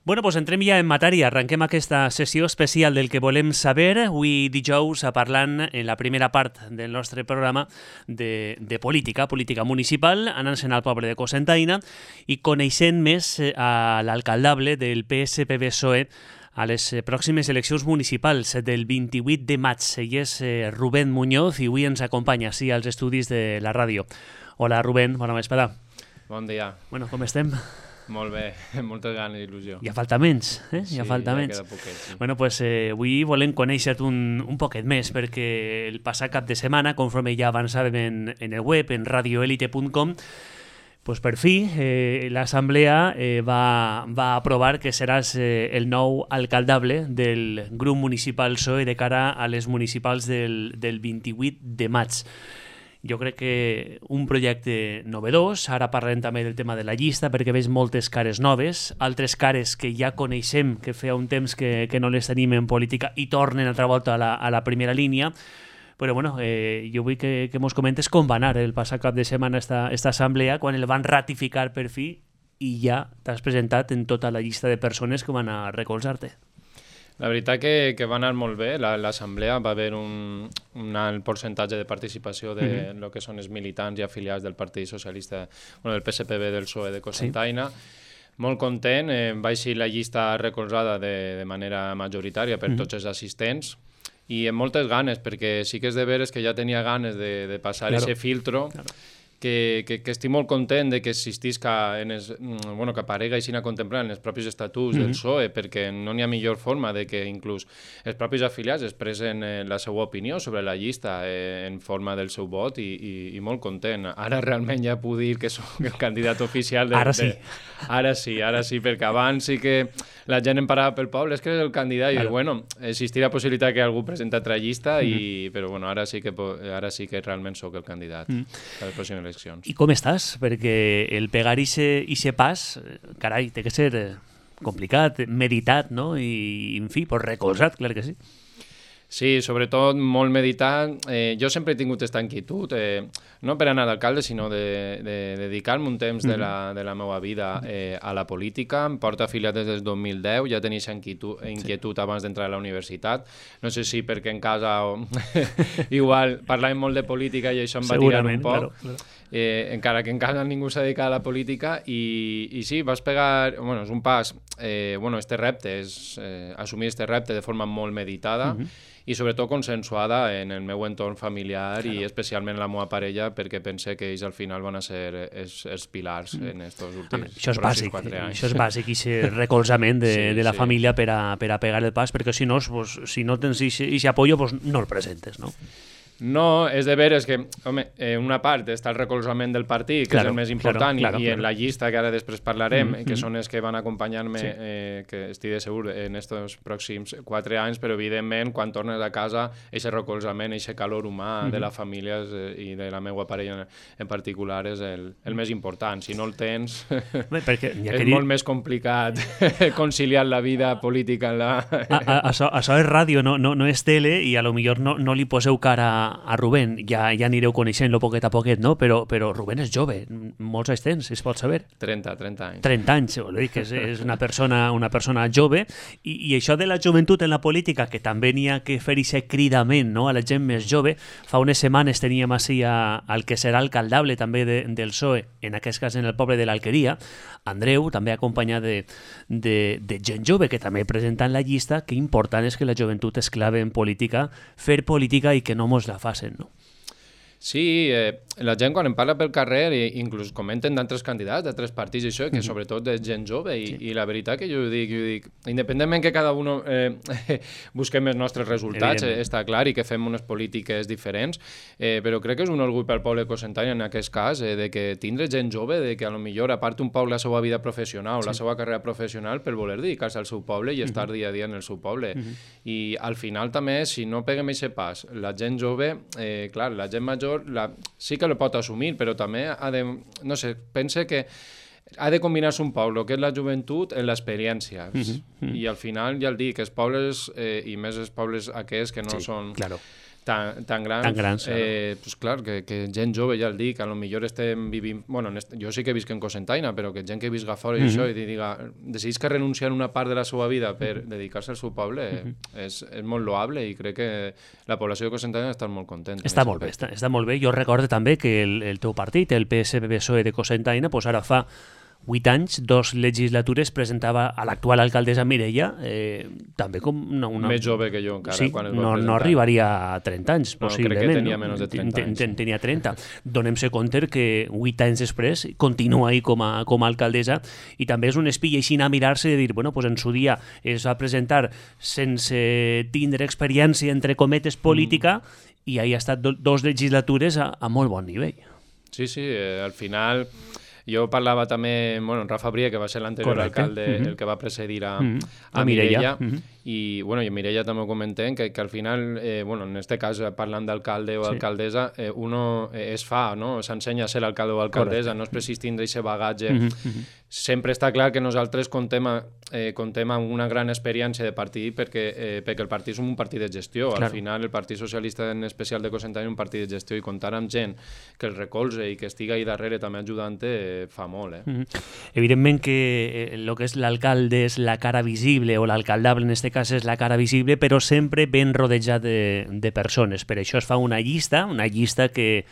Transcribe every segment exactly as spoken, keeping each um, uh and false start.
Bueno, doncs entrem ja en matèria. Arrenquem aquesta sessió especial del que volem saber. Avui dijous parlant en la primera part del nostre programa de, de política, política municipal, anant-se'n al poble de Cocentaina i coneixent més a l'alcaldable del P S P B P S O E a les pròximes eleccions municipals del vint-i-vuit de maig. Ell és Rubén Muñoz i avui ens acompanya sí, als estudis de la ràdio. Hola Rubén, bona vesprada. Bon dia. Bueno, com estem? Molt bé, moltes ganes i il·lusió. Ja falta menys, eh? Ja sí, falta ja menys. queda poquet, sí. Bueno, pues eh, avui volem conèixer-te un, un poquet més, perquè el passat cap de setmana, conforme ja avançàvem en, en el web, en radioelite punt com, pues per fi eh, l'Assemblea eh, va, va aprovar que seràs eh, el nou alcaldable del grup municipal P S O E de cara a les municipals del, del vint-i-vuit de maig. Jo crec que un projecte novedós, ara parlem també del tema de la llista perquè veig moltes cares noves, altres cares que ja coneixem, que feia un temps que, que no les tenim en política i tornen altra volta a la, a la primera línia, però bueno, eh, jo vull que, que mos comentes com va anar el passat cap de setmana esta, esta assemblea, quan el van ratificar per fi i ja t'has presentat en tota la llista de persones que van a recolzar-te. La veritat que, que va anar molt bé, l'assemblea va haver un, un alt percentatge de participació de mm-hmm. lo que són els militants i afiliats del Partit Socialista, bueno, del P S P B del P S O E de Cocentaina. Sí. Molt content, eh, va eixir la llista recolzada de, de manera majoritària per mm-hmm. tots els assistents i amb moltes ganes, perquè sí que és de veres que ja tenia ganes de, de passar aquest claro. filtro. Claro. Que, que, que estic molt content de que existisca, en es, bueno, que aparega així a contemplar en els propis estatuts mm-hmm. del P S O E, perquè no n'hi ha millor forma de que inclús els propis afiliats expressen eh, la seva opinió sobre la llista eh, en forma del seu vot i, i, i molt content. Ara realment ja puc dir que soc el candidat oficial. De, ara sí. De, ara sí, ara sí, perquè abans sí que la gent em parava pel poble, és que és el candidat, claro. I bueno, existia la possibilitat que algú presenta altra llista, mm-hmm. i, però bueno, ara sí que, ara sí que realment sóc el candidat mm. a les pròximes eleccions. I com estàs? Perquè el pegar ixe pas, carai, té que ser complicat, meditat, no? I, en fi, pues recolzat, clar que sí. Sí, sobretot molt meditat. Eh, jo sempre he tingut aquesta inquietud, eh, no per anar d'alcalde, sinó de, de dedicar-me un temps de la, de la meva vida eh, a la política. Em porto afiliat des del dos mil deu, ja tenia aquesta inquietud, inquietud sí. abans d'entrar a la universitat. No sé si perquè en casa o... igual parlàvem molt de política i això em va tirar un poc. Claro, claro. Eh, encara que en casa ningú s'ha dedicat a la política i, i sí, vas pegar, bueno, és un pas, eh, bueno, este repte és eh, assumir este repte de forma molt meditada uh-huh. i sobretot consensuada en el meu entorn familiar claro. I especialment la meva parella, perquè pense que ells al final van a ser els, els pilars mm. en estos últims això és bàsic, quatre anys. Això és bàsic, i aquest recolzament de, sí, de la sí. família per a, per a pegar el pas, perquè si no, pues, si no tens aquest apoyo, pues, no el presentes, no? No, és de veres que, home, eh, una part està el recolzament del partit, que claro, és el més important, claro, claro, i, i en claro. la llista que ara després parlarem, mm-hmm. que són els que van acompanyar-me, sí. eh, que estic de segur, en aquests pròxims quatre anys, però evidentment, quan tornes a casa, aquest recolzament, aquest calor humà mm-hmm. de la família eh, i de la meva parella en particular és el, el més important. Si no el tens, Bé, perquè, ja és dir... molt més complicat conciliar la vida política en la... a, a, això, això és ràdio, no, no, no és tele, i a lo millor no, no li poseu cara a Rubén, ja, ja anireu coneixent-lo poquet a poquet, no? Però, però Rubén és jove, molts anys tens, es pot saber? trenta, trenta anys. trenta anys, vol dir que és, és una, persona, una persona jove, i, i això de la joventut en la política, que també n'hi ha que fer aquest cridament, no?, a la gent més jove. Fa unes setmanes teníem així a, al que serà alcaldable també de, del P S O E, en aquest cas en el poble de l'Alqueria, Andreu, també acompanyat de, de, de gent jove que també presenta en la llista, que important és que la joventut és clave en política, fer política i que no mos la facin, no? Sí, eh, la gent quan em parla pel carrer i inclús comenten d'altres candidats, d'altres partits i això, que mm-hmm. sobretot de gent jove i, sí. i la veritat que jo ho dic, jo dic independentment que cada un eh, busquem els nostres resultats, eh, està clar, i que fem unes polítiques diferents, eh, però crec que és un orgull pel poble de Cocentaina en aquest cas, eh, de que tindre gent jove, de que a lo millor apart un poc la seva vida professional, sí. la seva carrera professional per voler dedicar-se al seu poble i estar mm-hmm. dia a dia en el seu poble. Mm-hmm. I al final també, si no peguem aquest pas, la gent jove, eh, clar, la gent major La, sí que lo pot assumir, però també ha de, no sé, pense que ha de combinar-se un poc el que és la joventut en l'experiència. Mm-hmm. I al final, ja el dic, els pobles, eh, i més els pobles aquests que no sí, són claro. tan, tan grans, tan grans eh, pues clar, que, que gent jove, ja el dic, a lo millor estem vivint... Bueno, jo sí que visc en Cocentaina, però que gent que visca fora i mm -hmm. això, i diga, decidís que renunciar una part de la seva vida per dedicar-se al seu poble, mm -hmm. és, és molt loable i crec que la població de Cocentaina està molt contenta. Està molt bé, està, està molt bé. Jo recordo també que el, el teu partit, el P S P B P S O E de Cocentaina, pues ara fa vuit anys, dos legislatures, presentava a l'actual alcaldessa Mireia, eh, també com una, una... Més jove que jo encara, sí, quan es va no, presentar. no arribaria a trenta anys, no, possiblement. Crec que tenia menys de trenta anys. Ten, tenia trenta. Donem-se compte que vuit anys després continua ahí com a, com a alcaldessa i també és un espill així a mirar-se i dir, bueno, pues en su dia es va presentar sense tindre experiència, entre cometes, política, mm. i ahí ha estat do, dos legislatures a, a molt bon nivell. Sí, sí, eh, al final... Jo parlava també, bueno, en Rafa Brie, que va ser l'anterior alcalde, uh -huh. el que va precedir a, uh -huh. a, a Mireia, uh -huh. i, bueno, i Mireia també ho comentem, que, que al final, eh, bueno, en este cas, parlant d'alcalde o sí. alcaldessa, eh, uno eh, es fa, no? S'ensenya a ser alcalde o alcaldessa, correcte. No es precisa tindre aquest bagatge. Uh -huh. Uh -huh. Sempre està clar que nosaltres contem, a, eh, contem amb una gran experiència de partit perquè, eh, perquè el partit és un partit de gestió. Claro. Al final, el Partit Socialista en especial de Cocentaina és un partit de gestió i comptar amb gent que el recolze i que estigui ahí darrere també ajudant eh, fa molt. Eh? Mm-hmm. Evidentment que el que és l'alcalde és la cara visible, o l'alcaldable en aquest cas és la cara visible, però sempre ben rodejat de, de persones. Per això es fa una llista, una llista que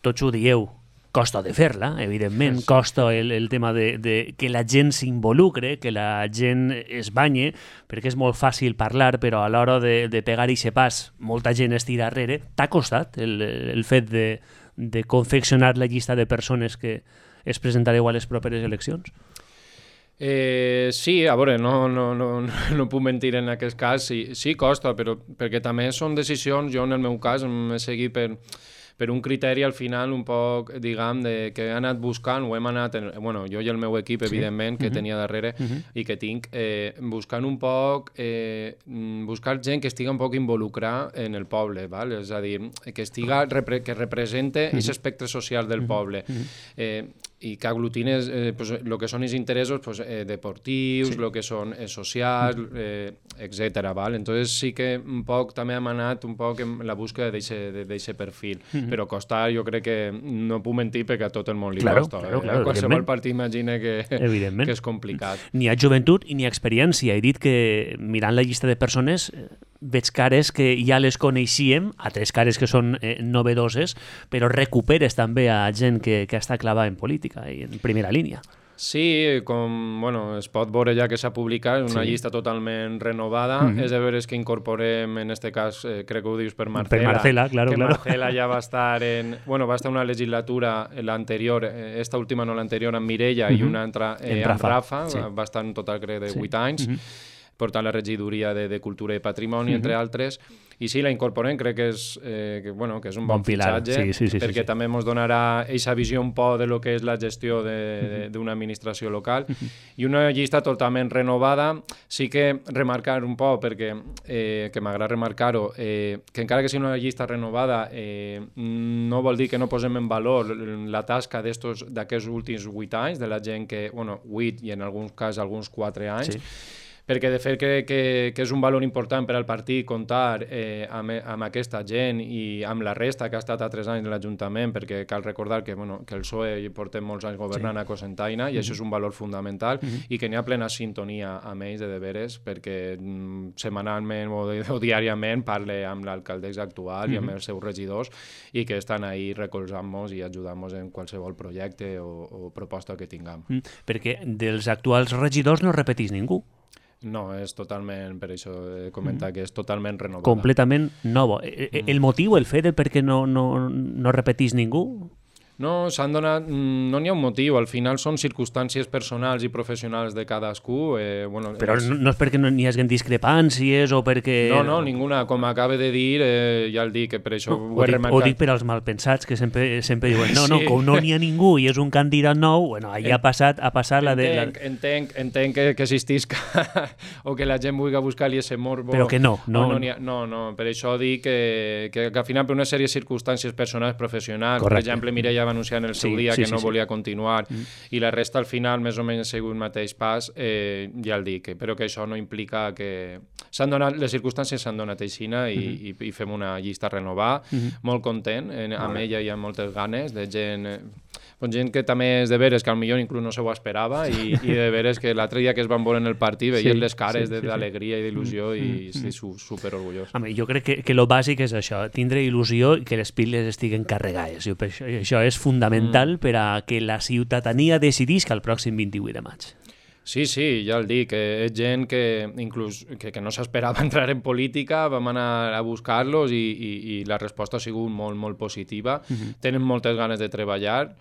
tots ho dieu, costa de fer-la, evidentment, costa el, el tema de, de que la gent s'involucre, que la gent es banye, perquè és molt fàcil parlar, però a l'hora de, de pegar ixe pas, molta gent estira darrere. T'ha costat el, el fet de, de confeccionar la llista de persones que es presentareu a les properes eleccions? Eh, sí, a veure, no, no, no, no puc mentir en aquest cas, sí, sí costa, però perquè també són decisions, jo en el meu cas m'he seguit per... per un criteri al final un poc, diguem, de, que he anat buscant, o hem anat, en, bueno, jo i el meu equip, evidentment, sí. que uh-huh. tenia darrere uh-huh. i que tinc, eh, buscant un poc, eh, buscar gent que estigui un poc involucrada en el poble, val? És a dir, que estiga, repre, que represente aquest uh-huh. aspecte social del uh-huh. poble. Uh-huh. Eh, i que aglutines eh, pues, lo que són els interessos pues, eh, deportius, sí. lo que són eh, socials, eh, etcètera. Val? Entonces sí que un poc també hem anat un poc en la búsqueda d'aquest perfil, mm-hmm. però costar jo crec que no puc mentir perquè a tot el món li claro, costa. Claro, eh? claro, qualsevol partit imagina que, que és complicat. Ni ha joventut ni ha experiència. He dit que mirant la llista de persones veig cares que ja les coneixíem, altres cares que són eh, novedoses, però recuperes també a gent que, que està clavada en política i en primera línia. Sí, com bueno, es pot veure ja que s'ha publicat, una sí. llista totalment renovada. Mm-hmm. És de veres que incorporem, en este cas, eh, crec que ho dius per Marcela. Per Marcela, claro, que claro. Marcela ja va estar en... Bueno, va estar una legislatura, l'anterior, esta última no l'anterior, amb Mireia, mm-hmm. i una altra eh, amb Rafa. Rafa. Sí. Va estar en total, crec, de vuit sí. anys. Mm-hmm. Portant la regidoria de, de Cultura i Patrimoni, mm-hmm. entre altres, i sí, la incorporem, crec que és, eh, que, bueno, que és un bon, bon fitxatge, sí, sí, sí, perquè sí, sí. també ens donarà aquesta visió un poc de lo que és la gestió d'una mm-hmm. administració local, mm-hmm. i una llista totalment renovada. Sí que remarcar un poc, perquè eh, que m'agrada remarcar-ho, eh, que encara que sigui una llista renovada, eh, no vol dir que no posem en valor la tasca d'aquests últims vuit anys, de la gent que, bueno, vuit i en alguns casos alguns quatre anys, sí. perquè de fet crec que, que és un valor important per al partit comptar eh, amb, amb aquesta gent i amb la resta que ha estat a tres anys de l'Ajuntament, perquè cal recordar que, bueno, que el P S O E portem molts anys governant sí. a Cocentaina i mm-hmm. això és un valor fundamental mm-hmm. i que n'hi ha plena sintonia amb ells de deberes, perquè mm, setmanalment o, o diàriament parle amb l'alcaldessa actual mm-hmm. i amb els seus regidors i que estan ahí recolzant-nos i ajudant-nos en qualsevol projecte o, o proposta que tinguem. Mm, perquè dels actuals regidors no repetís ningú. No, és totalment, per això he comentat, mm. que és totalment renovada. Completament nova. Mm. El motiu, el fet de per què no, no, no repetís ningú? No, s'han donat... No n'hi ha un motiu, al final són circumstàncies personals i professionals de cadascú. Eh, bueno, Però és... no és perquè no n'hi hagi discrepàncies o perquè... No, no, ninguna. Com acaba de dir, eh, ja el dic, que per això no, ho he dic, remarcat. Ho dic per als malpensats, que sempre, sempre diuen no, no, sí. com no n'hi ha ningú i és un candidat nou, bueno, allà ha passat, ha passat la de... Entenc, la... entenc, entenc que, que existisca o que la gent vulgui buscar-li ese morbo. Però que no. No, no, no, no, no. Per això dic que, que, que al final per una sèrie de circumstàncies personals, professionals, Correcte. Per exemple, Mireia va anunciar en el seu Sí, dia sí, que sí, no sí. volia continuar, Mm. i la resta al final més o menys ha sigut el mateix pas, eh, ja el dic, però que això no implica que... S'han donat, les circumstàncies s'han donat aixina i, Mm-hmm. i, i fem una llista a renovar, Mm-hmm. molt content, en, amb ella hi ha moltes ganes, de gent, eh, doncs gent que també és de veres que potser inclús no se ho esperava i, i de veres que l'altre dia que es van veure en el partit veien Sí, les cares sí, sí, sí. d'alegria i d'il·lusió i Mm-hmm. estic su, super orgullós. Home, jo crec que, que lo bàsic és això, tindre il·lusió i que les piles estiguen carregades. Jo, per això, això és fundamental mm. per a que la ciutadania decidisca el pròxim vint-i-vuit de maig. Sí, sí, ja el dic, que és gent que inclús que, que no s'esperava entrar en política, vam anar a buscar-los i, i, i la resposta ha sigut molt, molt positiva. Mm-hmm. Tenen moltes ganes de treballar,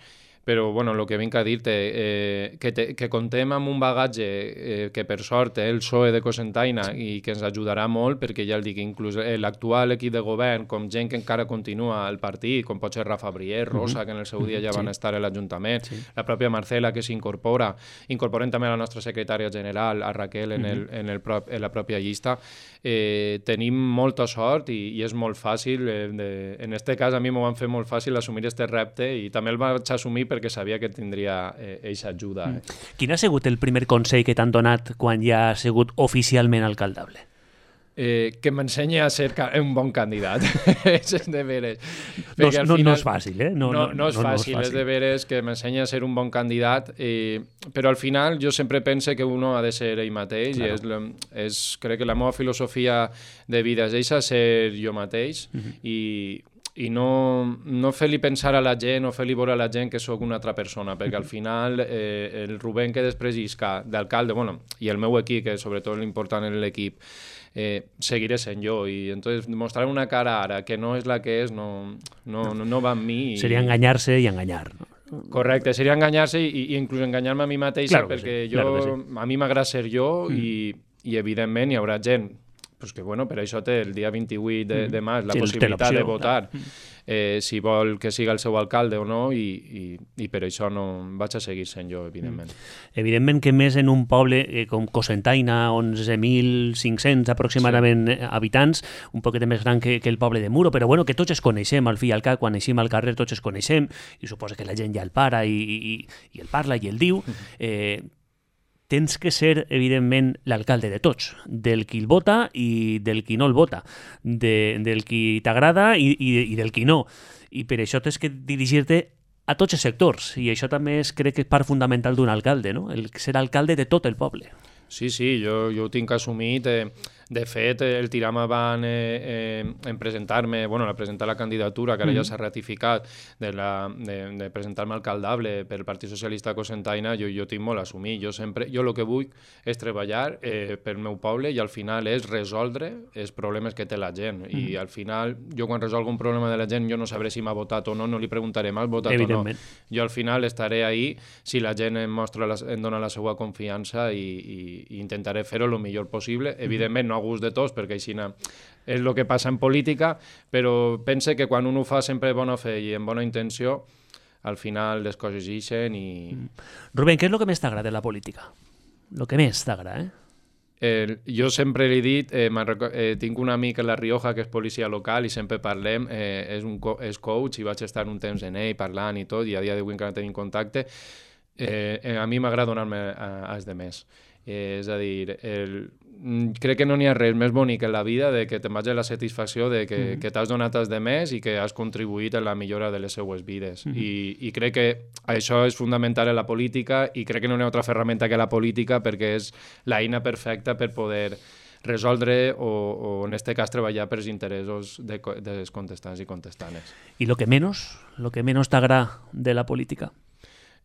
però bueno, el que vinc a dir-te, eh, que, te, que contem amb un bagatge eh, que per sort té el P S O E de Cocentaina i que ens ajudarà molt, perquè ja el dic, inclús l'actual equip de govern, com gent que encara continua al partit, com pot ser Rafa Brier, Rosa, que en el seu dia ja van Sí. estar a l'Ajuntament, Sí. la pròpia Marcela que s'incorpora, incorporem també la nostra secretària general, a Raquel, en, el, en, el prop, en la pròpia llista. Eh, tenim molta sort i, i és molt fàcil, eh, de, en este cas a mi m'ho van fer molt fàcil assumir este repte i també el vaig assumir perquè sabia que tindria eixa eh, ajuda. Eh. Quin ha sigut el primer consell que t'han donat quan ja has sigut oficialment alcaldable? Eh, que m'ensenyi a ser un bon candidat. és de veres. No, no, no és fàcil, eh? No, no, no és fàcil, no és, fàcil. És de veres que m'ensenyi a ser un bon candidat, eh, però al final jo sempre pense que uno ha de ser ell mateix, claro. i és, és, crec que la meva filosofia de vida és eixa, ser jo mateix, uh-huh. i i no, no fer-li pensar a la gent o fer-li veure a la gent que sóc una altra persona, perquè al final eh, el Rubén que després isca d'alcalde, bueno, i el meu equip, que sobretot l'important és l'equip, eh, seguiré sent jo, i entonces mostrar una cara ara que no és la que és, no, no, no, no va amb mi. I... Seria enganyar-se i enganyar, no? Correcte, seria enganyar-se i, i inclús enganyar-me a mi mateixa, claro perquè sí, jo, claro sí. a mi m'agrada ser jo mm. i, i evidentment hi haurà gent pues que bueno, per això té el dia vint-i-vuit de, de maig la sí, possibilitat de votar eh, si vol que siga el seu alcalde o no i, i, i per això no vaig a seguir sent jo, evidentment. Evidentment que més en un poble eh, com Cocentaina, onze mil cinc-cents aproximadament sí. habitants, un poquet més gran que, que el poble de Muro, però bueno, que tots es coneixem, al fi i al cap, quan eixim al carrer tots es coneixem, i suposa que la gent ja el para i, i, i el parla i el diu. Eh, tens que ser, evidentment, l'alcalde de tots, del qui el vota i del qui no el vota, de, del qui t'agrada i, i, i del qui no. I per això tens que dirigir-te a tots els sectors, i això també és, crec que és part fundamental d'un alcalde, no? El ser alcalde de tot el poble. Sí, sí, jo, jo ho tinc assumit. Eh, de fet, el tiram avant eh, eh, en presentar-me, bueno, a presentar la candidatura, que ara mm-hmm. ja s'ha ratificat, de, la, de, de presentar-me alcaldable pel Partit Socialista Cocentaina, jo, jo tinc molt assumit. Jo sempre, jo el que vull és treballar eh, pel meu poble i al final és resoldre els problemes que té la gent. Mm-hmm. I al final, jo quan resolgo un problema de la gent, jo no sabré si m'ha votat o no, no li preguntaré m'has votat o no. Jo al final estaré ahí si la gent em, mostra la, em dona la seva confiança i, i, i intentaré fer-ho el millor possible. Evidentment, no a gust de tots, perquè així és el que passa en política, però pense que quan un ho fa sempre de bona fe i amb bona intenció, al final les coses ixen i... Rubén, què és el que més t'agrada de la política? El que més t'agrada, eh? Eh, jo sempre li he dit, eh, eh, tinc un amic a La Rioja que és policia local i sempre parlem, eh, és, un co és coach i vaig estar un temps en ell parlant i tot, i a dia d'avui encara tenim contacte. Eh, eh, a mi m'agrada donar-me als demés. Eh, és a dir, el, crec que no n'hi ha res més bonic en la vida de que te'n vagi la satisfacció de que, mm-hmm. que t'has donat als demés i que has contribuït en la millora de les seues vides. Mm-hmm. I, I crec que això és fundamental en la política i crec que no hi ha altra ferramenta que la política perquè és l'eina perfecta per poder resoldre o, o en aquest cas treballar per els interessos de, dels contestants i contestanes. I el que menys, el que menys t'agrada de la política?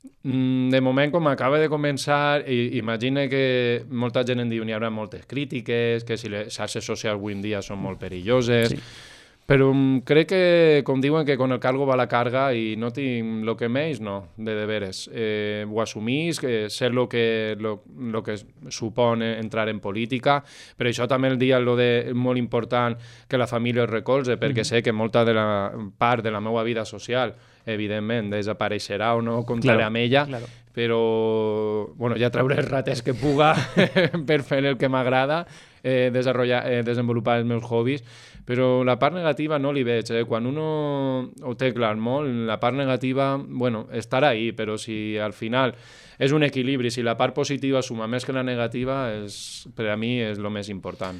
De moment, com acaba de començar, imagina que molta gent en diu n'hi haurà moltes crítiques, que si les xarxes socials avui en dia són molt perilloses, sí. Però crec que, com diuen, que con el cargo va la carga i no tinc el que més, no, de de veres. Eh, ho assumís, que ser el que, lo, lo que supon entrar en política, però això també el dia lo de, molt important que la família es recolze, perquè mm-hmm. sé que molta de la part de la meva vida social evidentment desapareixerà o no comptaré claro, amb ella, claro. Però bueno, ja trauré els rates que puga per fer el que m'agrada eh, desenvolupar, eh, desenvolupar els meus hobbies, però la part negativa no li veig. Eh? Quan uno ho té clar molt, la part negativa, bueno, estarà ahí, però si al final és un equilibri, si la part positiva suma més que la negativa, és, per a mi és el més important.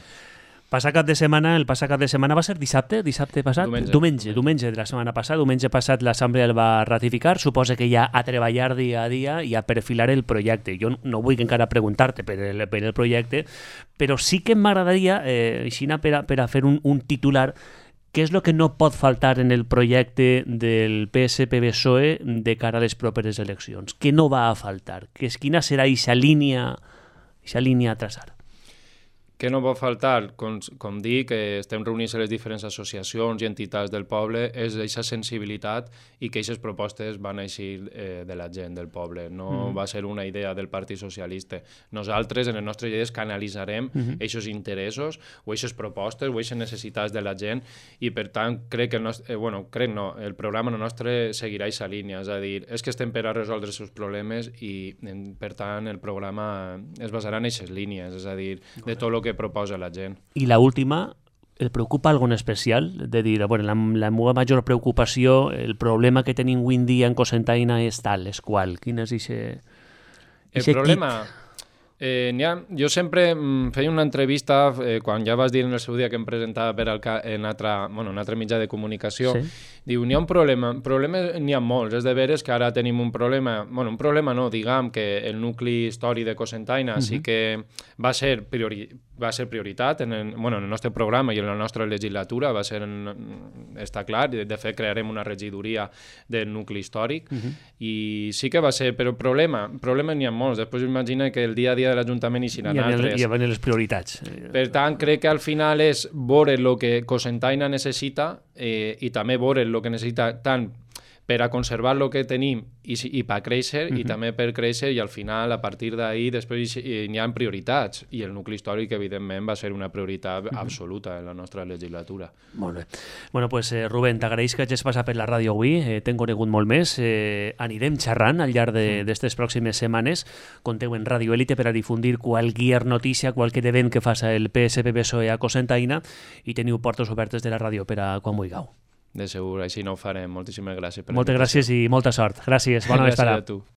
Passat cap de setmana, el passat cap de setmana va ser dissabte, dissabte passat? Diumenge. Diumenge, diumenge de la setmana passada, diumenge passat l'Assemblea el va ratificar, suposa que ja a treballar dia a dia i a perfilar el projecte. Jo no vull encara preguntar-te per el, per el projecte, però sí que m'agradaria, eh, així per a, per a fer un, un titular, què és el que no pot faltar en el projecte del P S P B P S O E de cara a les properes eleccions? Què no va a faltar? Quina serà aquesta línia, aquesta línia a traçar? Què no pot faltar? Com, com dic, que estem reunits a les diferents associacions i entitats del poble, és aquesta sensibilitat i que aquestes propostes van eixir eh, de la gent del poble. No mm. va ser una idea del Partit Socialista. Nosaltres, en les nostres idees, canalitzarem aquests mm. interessos o aquestes propostes o aquestes necessitats de la gent i, per tant, crec que el nostre, eh, bueno, crec no, el programa nostre seguirà aquesta línia. És a dir, és que estem per a resoldre els seus problemes i, per tant, el programa es basarà en aquestes línies. És a dir, de tot el que proposa la gent. I la última, el preocupa algun especial? De dir, bueno, la, la meva major preocupació, el problema que tenim avui en dia en Cocentaina és tal, és qual? Quin és ixe, ixe el problema... Eh, ha, jo sempre mm, feia una entrevista eh, quan ja vas dir en el seu dia que em presentava per al ca en altre, bueno, un altre mitjà de comunicació. Sí. Diu, n'hi ha un problema. Problemes n'hi ha molts. És de veres que ara tenim un problema... Bueno, un problema no, diguem que el nucli històric de Cocentaina uh-huh. sí que va ser, priori va ser prioritat en el, bueno, en el nostre programa i en la nostra legislatura. Va ser en, està clar. De, de fet, crearem una regidoria del nucli històric uh-huh. i sí que va ser... Però problema, problemes n'hi ha molts. Després imagina que el dia a dia de l'Ajuntament hi seran altres. I van les prioritats. Per tant, crec que al final és veure el que Cocentaina necessita eh, i també veure el que necessita tant per a conservar el que tenim i, i per créixer, uh-huh. i també per créixer, i al final, a partir d'ahir, després n'hi ha prioritats, i el nucli històric, evidentment, va ser una prioritat uh-huh. absoluta en la nostra legislatura. Molt bé. Bueno, pues, eh, Rubén, t'agraeix que hagis passat per la ràdio avui, eh, t'hem conegut molt més, eh, anirem xerrant al llarg d'aquestes pròximes setmanes, conteu en Radio Élite per a difundir qualsevol notícia, qualsevol event que faça el P S P B P S O E a Cocentaina, i teniu portes obertes de la ràdio per a quan vulgueu. De segur, així no ho farem. Moltíssimes gràcies per Moltes gràcies i molta sort. Gràcies, bona vesprada. Gràcies a tu.